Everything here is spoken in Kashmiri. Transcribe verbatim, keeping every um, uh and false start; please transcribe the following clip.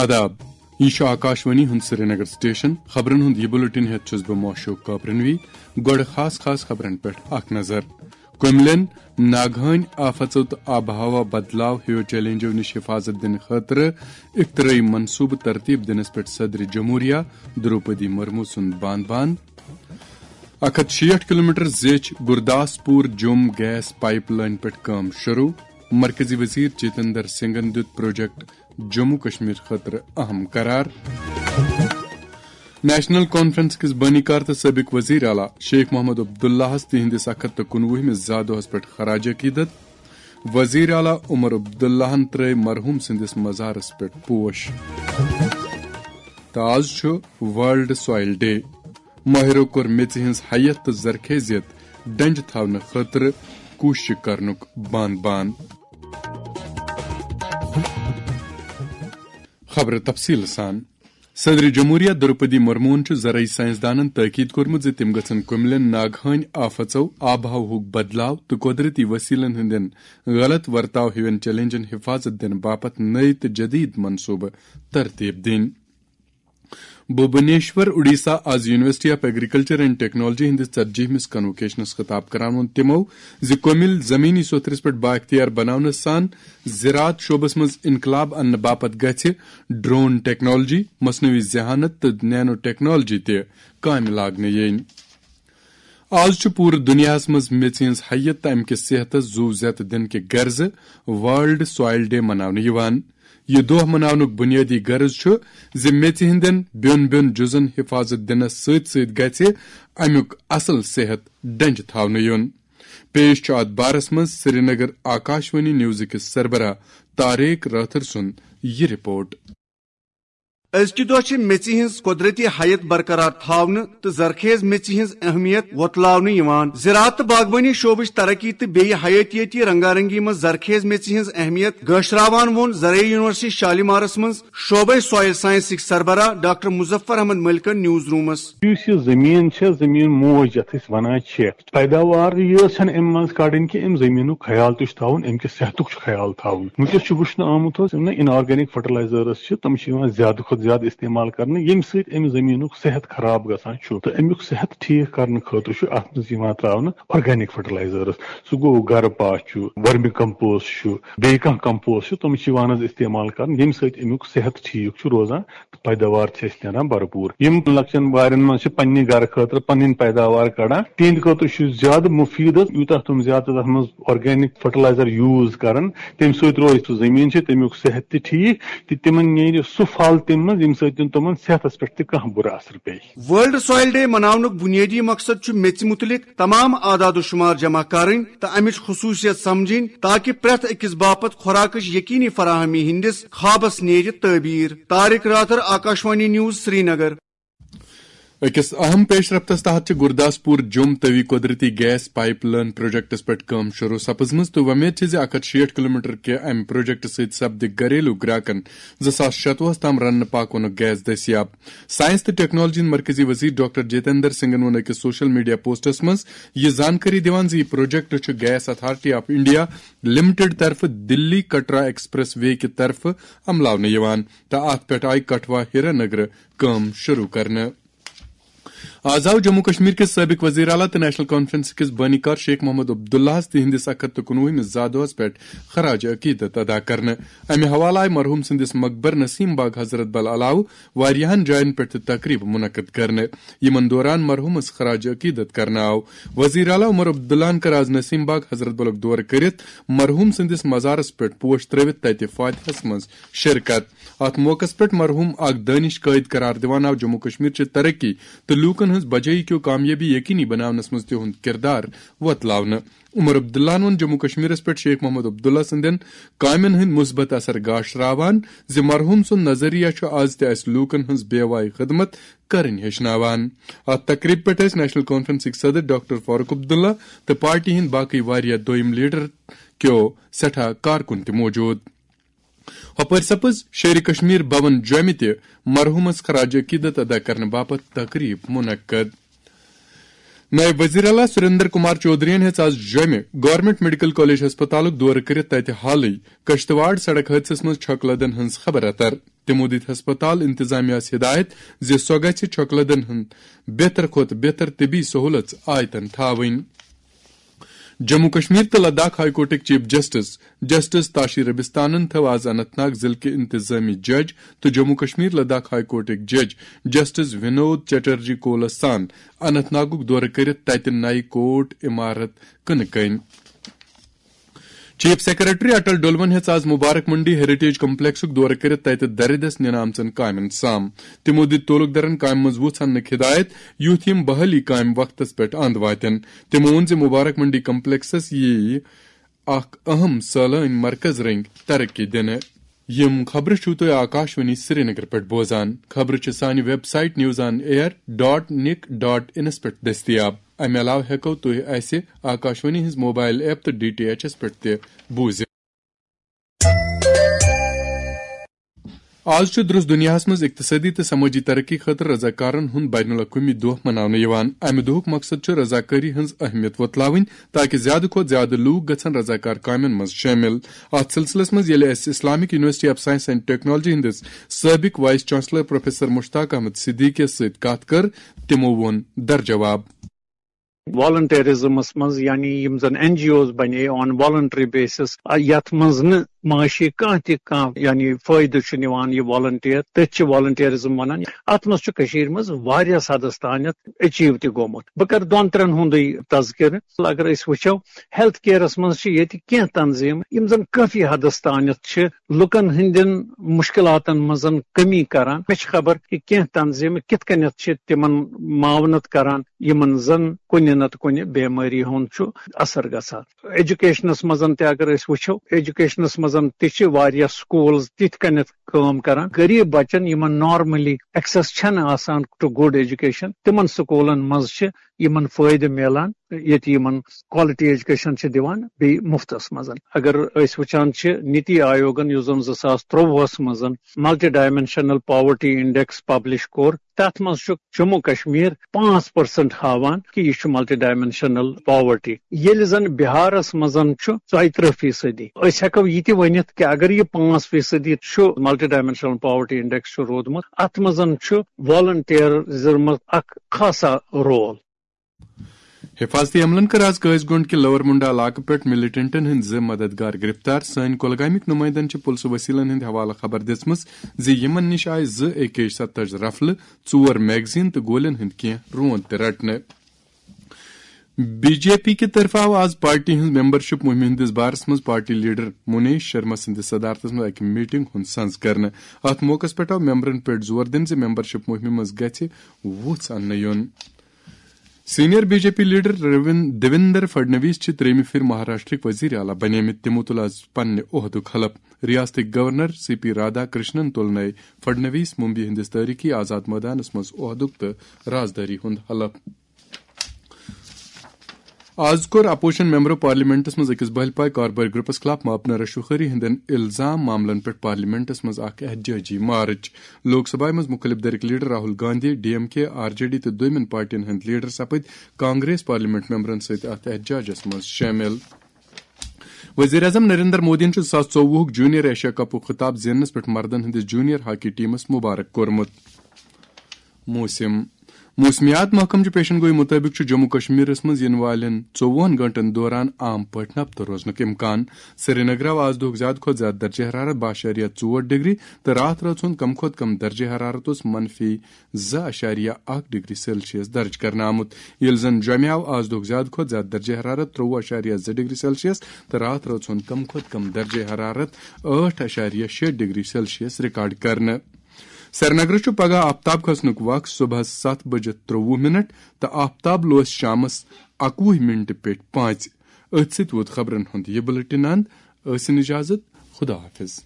آداب، یہِ چھُ آکاشوانی ہُنٛد سرینگر سٹیشن۔ خبرن ہُنٛد یہِ بُلٹن ہٮ۪تھ چھُس بہٕ موشوق کابرنوی۔ گۄڈٕ خاص خاص خبرن پٮ۪ٹھ اکھ نظر۔ کُملین ناگہٲنۍ آفژو تہٕ آب و ہوا بدلاو ہیو چیلنجو نِش حفاظت دِنہٕ خٲطرٕ اختراعی منصوبہٕ ترتیب دِنس پٮ۪ٹھ صدر جمہوریہ دروپدی مرمو سُنٛد بان بان۔ اکھ ہتھ شیٹھ کلومیٹر زیچھ Gurdaspur Jammu gas pipeline پٮ۪ٹھ کٲم شروع۔ مرکزی وزیر جتندر سنگھن دیُت پروجیکٹ جموں کشمیر خٲطرٕ اہم قرار۔ نیشنل کانفرنس کِس بٲنی کار تہٕ سٲبق وزیر اعلیٰ شیخ محمد عبداللہس تِہنٛدِس اکھ ہتھ تہٕ کُنوُہمِس زا دۄہس پٮ۪ٹھ خراج عقیدت۔ وزیر اعلیٰ عمر عبداللہن ترٲوۍ مرحوم سٕنٛدِس مزارس پٮ۪ٹھ پوش۔ تہٕ آز چھُ ورلڈ سوائل ڈے۔ ماہرو کوٚر میٚژِ ہٕنٛز حیت تہٕ زرخیزیت ڈنجہِ تھاونہٕ خٲطرٕ کوٗششہِ کرنُک بان بان۔ خبرٕ تفصیٖل سان۔ صدر جمہوریہ دروپدی مرموہن چھُ زرعی سائنسدانن تاکید کوٚرمُت زِ تِم گژھن کُملین ناگہٲنۍ آفژو، آب و ہوہُک بدلاو تہٕ قۄدرتی وسیلن ہٕنٛدٮ۪ن غلط ورتاو ہِوٮ۪ن چیلنجن حفاظت دِنہٕ باپتھ نٔوۍ تہٕ جدید منصوبہٕ ترتیب دِنۍ۔ بھوبنیشور، اڈیسہ، آز university of agriculture and technology ہٕنٛدِس ژتجیہمِس کنووکیشنس خطاب کران ووٚن تِمو زِ کُمِل زمینی سوٚتھرِس پٮ۪ٹھ با اختیار بناونہٕ سان زراعت شعبس منٛز انقلاب اننہٕ باپتھ گژھِ ڈرون ٹیکنالوجی، مصنوعی ذہانت تہٕ نینو ٹیکنالوجی تہِ کامہِ لاگنہٕ یِنۍ۔ آز چھُ پوٗرٕ دُنیاہَس منٛز میٚژِ ہٕنٛز حیت تہٕ اَمہِ کِس صحتَس زُو زیتہٕ دِنہٕ کہِ غرضہٕ ورلڈ سوائل ڈے مناونہٕ یِوان۔ یہِ دۄہ مناونُک بُنیٲدی غرض چھُ زِ میٚژِ ہٕنٛدٮ۪ن بیوٚن بیوٚن جُزن حفاظت دِنَس سۭتۍ سۭتۍ گژھِ اَمیُک اصل صحت ڈنجہِ تھاونہٕ یُن۔ پیش چھُ اَتھ بارس منٛز سرینگر آکاشوانی نیوزٕکِس سربراہ طارق رٲتھر سُنٛد یہِ رپورٹ۔ أزکہِ دۄہ چھِ میٚژِ ہٕنٛز قۄدرٔتی حیت برقرار تھاونہٕ تہٕ زرخیز میٚژِ ہٕنٛز اہمیت وۄتلاونہٕ یِوان۔ زراعت تہٕ باغبٲنی شعبٕچ ترقی تہٕ بیٚیہِ حیٲتیٲتی رنگارنگی منٛز زرخیز میٚژِ ہٕنٛز اہمیت گٲشراوان ووٚن زرعی یونیورسٹی شالیمارس منٛز شعبے سوائل سائنسٕکۍ سربراہ ڈاکٹر مظفر احمد ملکن نیوز رومس۔ یُس یہِ زٔمیٖن چھےٚ، زٔمیٖن موج یَتھ أسۍ وَنان چھِ، پیداوار یٲژ چھنہٕ امہِ منٛز کڑٕنۍ کہِ امہِ زٔمیٖنُک خیال تہِ چھُ تھاوُن، امہِ کہِ صحتُک چھُ خیال تھاوُن۔ وٕنکیٚس چھُ وٕچھنہٕ آمُت حظ، یِم نہٕ inorganic fertilizers چھِ، تِم چھِ یِوان زیادٕ کھۄتہٕ زیادٕ استعمال کرنہٕ، ییٚمہِ سۭتۍ امہِ زٔمیٖنُک صحت خراب گژھان چھُ۔ تہٕ امیُک صحت ٹھیٖک کرنہٕ خٲطرٕ چھُ اتھ منٛز یِوان تراونہٕ organic fertilizers۔ سُہ گوٚو گرٕ پاہ چھُ، ورمی compost چھُ، بیٚیہِ کانٛہہ compost چھُ، تِم چھِ یِوان حظ استعمال کرنہٕ، ییٚمہِ سۭتۍ امیُک صحت ٹھیٖک چھُ روزان۔ پیداوار چھِ اَسہِ نیران بھرپوٗر۔ یِم لۄکچٮ۪ن وارٮ۪ن منٛز چھِ پننہِ گرٕ خٲطرٕ پنٕنۍ پیداوار کڑان، تِہنٛدِ خٲطرٕ چھُ زیادٕ مُفیٖد حظ، یوٗتاہ تِم زیادٕ تَتھ منٛز organic fertilizer use کرن، تَمہِ سۭتۍ روزِ سُہ زٔمیٖن چھِ تَمیُک صحت تہِ ٹھیٖک، تہٕ تِمن نیرِ سُہ پھل تَمہِ منٛز، ییٚمہِ سۭتۍ تِم تِمن صحتس پٮ۪ٹھ تہِ کانٛہہ بُرٕ اثر پیٚیہِ۔ ورلڈ سوائل ڈے مناونُک بُنیٲدی مقصد چھُ میٚژِ مُتعلق تمام اعداد و شمار جمع کرٕنۍ تہٕ امِچ خصوٗصیت سمجھٕنۍ، تاکہ پرٛٮ۪تھ أکِس باپتھ خوراکٕچ یقینی فراہمی ہٕنٛدِس خوابس نیرِ تعبیٖر۔ طارق راتھر، آکاشوانی نیوز، سرینگر۔ أکِس اہم پیش رفتس تحت چھِ گرداسپور جوٚم تٔوی قۄدرٔتی گیس پائپ لائن پروجیکٹس پٮ۪ٹھ کٲم شروع سپٕزمٕژ تہٕ وۄمید چھِ زِ اکھ ہتھ شیٹھ کلومیٹر کہِ امہِ پروجیکٹہٕ سۭتۍ سپدِ گھریلو گراکن زٕ ساس شتوُہس تام رننہٕ پاکونُک گیس دٔستیاب۔ سائنس تہٕ ٹیکنالوجی ہٕنٛدۍ مرکزی وزیر ڈاکٹر جتیندر سنگھن ووٚن أکِس سوشل میڈیا پوسٹس منٛز یہِ زانکٲری دِوان زِ یہِ پروجیکٹ چھُ gas authority of India limited طرفہٕ دلی کٹرا ایکسپریس وے کہِ طرفہٕ عملاونہٕ یِوان تہٕ اتھ پٮ۪ٹھ آیہِ کٹھوا ہیرانگر کٲم شروع کرنہٕ۔ آز آو جموں کشمیر کِس سٲبق وزیر اعلیٰ تہٕ نیشنل کانفرنس کِس بٲنی کار شیخ محمد عبداللہس تِہنٛدِس اکھ ہتھ تہٕ کُنوُہمِس زا دۄہس پٮ۪ٹھ خراج عقیدت ادا کرنہٕ۔ امہِ حوالہٕ آیہِ مرحوم سٕنٛدِس مقبر نسیم باغ حضرت بل علاوٕ واریاہن جاین پٮ۪ٹھ تہِ تقریب منعقد کرنہٕ، یِمن دوران مرحومس خراج عقیدت کرنہٕ آو۔ وزیر اعلیٰ عمر عبداللہن کٔر آز نسیم باغ حضرت بلُک دورٕ کٔرِتھ مرحوم سٕنٛدِس مزارس پٮ۪ٹھ پوش ترٲوِتھ تتہِ فاتحس منٛز شرکت۔ اتھ موقعس پٮ۪ٹھ مرحوم اکھ دٲنِش قٲئد قرار دِوان آو جموں کشمیر چہِ ترقی تہٕ لوٗکن ہٕنٛز بجٲیی کیو کامیٲبی یقینی بناونس منٛز تِہُنٛد کردار وۄتلاونہٕ۔ عمر عبداللہن ووٚن جموں کشمیرس پٮ۪ٹھ شیخ محمد عبداللہ سٕنٛدٮ۪ن کامٮ۪ن ہٕنٛدۍ مثبت اثر گاشراوان زِ مرحوم سُنٛد نظریہ چھُ از تہِ اسہِ لوٗکن ہٕنٛز بے وای خدمت کرٕنۍ ہیٚچھناوان۔ اتھ تقریبہِ پٮ۪ٹھ ٲسۍ نیشنل کانفرنسٕکۍ صدر ڈاکٹر فاروق عبداللہ تہٕ پارٹی ہٕنٛدۍ باقٕے واریاہ دوٚیم لیڈر کیو سٮ۪ٹھاہ کارکُن تہِ موجود۔ ہۄپٲرۍ سپٕز شیرِ کشمیر بھون جوٚمہِ تہِ مرحومس خراج عقیدت ادا کرنہٕ باپتھ تقریب منعقد۔ نائب وزیر اعلیٰ سریندر کمار چودھرین ہیٚژ آز جوٚمہِ گورنمنٹ میڈیکل کالج ہسپتالُک دورٕ کٔرِتھ تتہِ حالٕے کشتواڑ سڑک حٲدثس منٛز چھۄکہٕ لدن ہٕنٛز خبر اتر۔ تِمو دِتۍ ہسپتال انتظامیہس ہدایت زِ سۄ گژھِ چھۄکہٕ لدن ہٕنٛز بہتر کھۄتہٕ بہتر طبی سہولژ آیتن تھاوٕنۍ۔ جموں کشمیر تہٕ لداخ ہائی کورٹٕکۍ چیف جسٹس جسٹس تاشی ربستانن تھٲو آز اننت ناگ ضلعہٕ کہِ انتظامی جج تہٕ جموں کشمیر لداخ ہائی کورٹٕکۍ جج جسٹس ونود چٹرجی کولس سان اننت ناگُک دورٕ کٔرِتھ تتہِ نَیہِ کورٹ عمارت کٕنہٕ کٔنۍ۔ چیف سیکرٹری اٹل ڈولون ہیٚژ آز مبارک منڈی ہیریٹیج کمپلیکسُک دورٕ کٔرِتھ تتہِ دردس نِنہٕ آمژن کامٮ۪ن سام۔ تِمو دِتۍ تعلقدارن کامہِ منٛز وُژھ اننٕکۍ ہدایت، یُتھ یِم بحالی کامہِ وقتس پٮ۪ٹھ اند واتن۔ تِمو ووٚن زِ مبارک منڈی کمپلیکسس ییہِ اکھ اہم سٲلٲنۍ مرکز رٔنگۍ ترقی دِنہٕ۔ یِم خبرٕ چھِو تُہۍ آکاشوانی سرینگر پٮ۪ٹھ بوزان۔ خبرٕ چھِ سانہِ web site news on air dot nic dot انس پٮ۪ٹھ دٔستیاب۔ امہِ علاوٕ ہٮ۪کو تُہۍ اسہِ آکاشوانی ہٕنٛز موبائل ایپ تہٕ ڈی ٹی ایچ ایس پٮ۪ٹھ تہِ بوٗزِتھ۔ آز چھُ درست دُنیاہَس منٛز اقتصٲدی تہٕ سمٲجی ترقی خٲطرٕ رضاکارَن ہُنٛد بین الاقوٲمی دۄہ مناونہٕ یِوان۔ اَمہِ دۄہُک مقصد چھُ رضاکٲری ہٕنٛز اہمیت وۄتلاوٕنۍ، تاکہِ زیادٕ کھۄتہٕ زیادٕ لوٗکھ گژھن رضاکار کامٮ۪ن منٛز شٲمِل۔ اَتھ سلسلس منٛز ییٚلہِ اَسہِ Islamic university of science and technology ہٕنٛدِس سٲبق vice chancellor professor Mushtaq Ahmad صدیقیَس سۭتۍ کَتھ کٔر، تِمو ووٚن درجواب۔ والنٹیرزمس منٛز، یعنی یِم زن این جی اوز بنے آن والنٹری بیسس، یتھ منٛز نہٕ معاشی کانٛہہ تہِ کانٛہہ یعنی فٲیدٕ چھُ نِوان یہِ والنٹیر، تٔتھۍ چھِ والنٹیرزم ونان۔ اتھ منٛز چھُ کٔشیٖرِ منٛز واریاہ حدس تانٮ۪تھ ایچیو تہِ گوٚمُت۔ بہٕ کرٕ دۄن ترٛٮ۪ن ہُنٛدٕے تذکرٕ۔ اگر أسۍ وٕچھو، ہیلتھ کیئرس منٛز چھِ ییٚتہِ کینٛہہ تنظیٖم، یِم زن کٲفی حدس تانٮ۪تھ چھِ لُکن ہٕنٛدٮ۪ن مُشکِلاتن منٛز کٔمی کران۔ مےٚ چھِ خبر کہِ کینٛہہ تنظیٖمہٕ کِتھ کٔنٮ۪تھ چھِ تِمن معاونت کران، یِمن زن کُنہِ نتہٕ کُنہِ بیمٲری ہُنٛد چھُ اثر گژھان۔ ایجوکیشنس منٛز تہِ اگر أسۍ وٕچھو، ایجوکیشنس منٛز تہِ چھِ واریاہ سکوٗلز تِتھ کٔنٮ۪تھ کٲم کران، غریب بچن یِمن نارملی ایکسس چھنہٕ آسان ٹو گڈ ایجوکیشن، تِمن سکوٗلن منٛز چھِ یِمن فٲیدٕ میلان، ییٚتہِ یِمن کوالٹی ایجوکیشن چھِ دِوان بیٚیہِ مُفتس منٛز۔ اگر أسۍ وٕچھان چھِ، نیتی آیوگن، یُس زن زٕ ساس ترٛۆوُہس منٛز multi dimensional poverty index publish کوٚر، تتھ منٛز چھُ جموں کشمیر پانٛژھ پرسنٹ ہاوان کہِ یہِ چھُ ملٹی ڈائمینشنل پاورٹی، ییٚلہِ زن بہارس منٛز چھُ ژۄیہِ ترٕٛہ فیصدی۔ أسۍ ہٮ۪کو یہِ تہِ ؤنِتھ کہِ اگر یہِ پانٛژھ فیصدی چھُ ملٹی ڈائمینشنل پاورٹی انڈیکس چھُ روٗدمُت، اتھ منٛز چھُ والنٹیرزمُک اکھ خاصا رول۔ حفاظتی عملن کٔر آز قٲضۍ گونڈ کہِ لور منڈا علاقہٕ پٮ۪ٹھ ملیٹنٹن ہٕنٛدۍ زٕ مددگار گرفتار۔ سٲنۍ کۄلگامٕکۍ نُمٲیندن چھِ پُلسہٕ وسیلن ہٕنٛدِ حوالہٕ خبر دِژمٕژ زِ یِمن نِش آیہِ زٕ اے کے شستٲج رفلہٕ، ژور میگزین تہٕ گولٮ۪ن ہٕنٛدۍ کینٛہہ روند تہِ رٹنہٕ۔ بی جے پی کہِ طرفہٕ آو آز پارٹی ہٕنٛز ممبرشپ مُہِمہِ ہٕنٛدِس بارس منٛز پارٹی لیڈر منیش شرما سٕنٛدِس صدارتس منٛز اکہِ میٹنگ ہُنٛد سنز کرنہٕ۔ اتھ موقعس پٮ۪ٹھ آو ممبرن پٮ۪ٹھ زور دِنہٕ زِ ممبرشپ مُہِمہِ منٛز گژھِ وُژھ اننہٕ یُن۔ Senior B J P leader روین-، دیویندر فڈنویس چھِ ترٛیٚیِمہِ پھِرِ مہاراشٹرٕکۍ وزیر اعلیٰ بنیمٕتۍ۔ تِمو تُل آز پننہِ عہدُک حلف۔ ریاستٕکۍ governor C P Radhakrishnan تُل نئے فڈنویس ممبئی ہٕنٛدِس تٲریخی آزاد مٲدانس منٛز عہدُک تہٕ رازدٲری ہُنٛد حلف۔ آز کوٚر اپوزیشن ممبرو پارلیمنٹس منٛز أکِس بھلپاے کاربٲرۍ گروپس خلاف ماپنہ رشوخوری ہٕنٛدٮ۪ن الزام معاملن پٮ۪ٹھ پارلیمنٹس منٛز اکھ احتجاجی مارچ۔ لوک سبھایہ منٛز مُخٲلف دھرٕکۍ leader Rahul Gandhi, D M K, R J D تہٕ دوٚیمٮ۪ن پارٹین ہٕنٛدۍ لیڈر سپٕدۍ کانگریس پارلیمنٹ ممبرن سۭتۍ اتھ احتجاجس منٛز شٲمِل۔ وزیر اعظم نریندر مودیَن چھُ زٕ ساس ژوٚوُہُک جونیئر ایشیا کپُک خطاب زیننس پٮ۪ٹھ مردن ہٕنٛدِس جونیئر ہاکی ٹیمس مبارک کوٚرمُت۔ موسم۔ موسمیات محکمہٕ چہِ پیشن گوئی مُطٲبِق چھُ جموں کشمیرس منٛز یِنہٕ والٮ۪ن ژوٚوُہن گٲنٛٹن دوران عام پٲٹھۍ نبتہٕ روزنُک امکان۔ سرینگر آو آز دۄہُک زیادٕ کھۄتہٕ زیادٕ درجہ حرارت باہ اعشاریہ ژور ڈگری تہٕ راتھ رٲژ ہُنٛد کم کھۄتہٕ کم درجہ حرارت اوس منفی زٕ اعشاریہ اکھ ڈگری سیلسیس درج کرنہٕ آمُت، ییٚلہِ زن جوٚمہِ آو آز دۄہُک زیادٕ کھۄتہٕ زیادٕ درجہ حرارت ترٛۆوُہ اعشاریہ زٕ ڈگری سیلسیس تہٕ راتھ رٲژ ہُنٛد کم کھۄتہٕ کم درجہ حرارت ٲٹھ اعشاریہ شےٚ ڈگری سیلسیس ریکارڈ کرنہٕ۔ سرینگرٕ چھُ پگاہ آفتاب کھسنُک وق صبحس ستھ بجہِ ترٛۆوُہ منٹ تہٕ آفتاب لوس شامس اکوُہ منٹہِ پیٚٹھۍ پانٛژِ۔ أتھۍ سۭتۍ ووت خبرن ہُنٛد یہِ بلیٹن اند۔ ٲسِن اجازت، خدا حافظ۔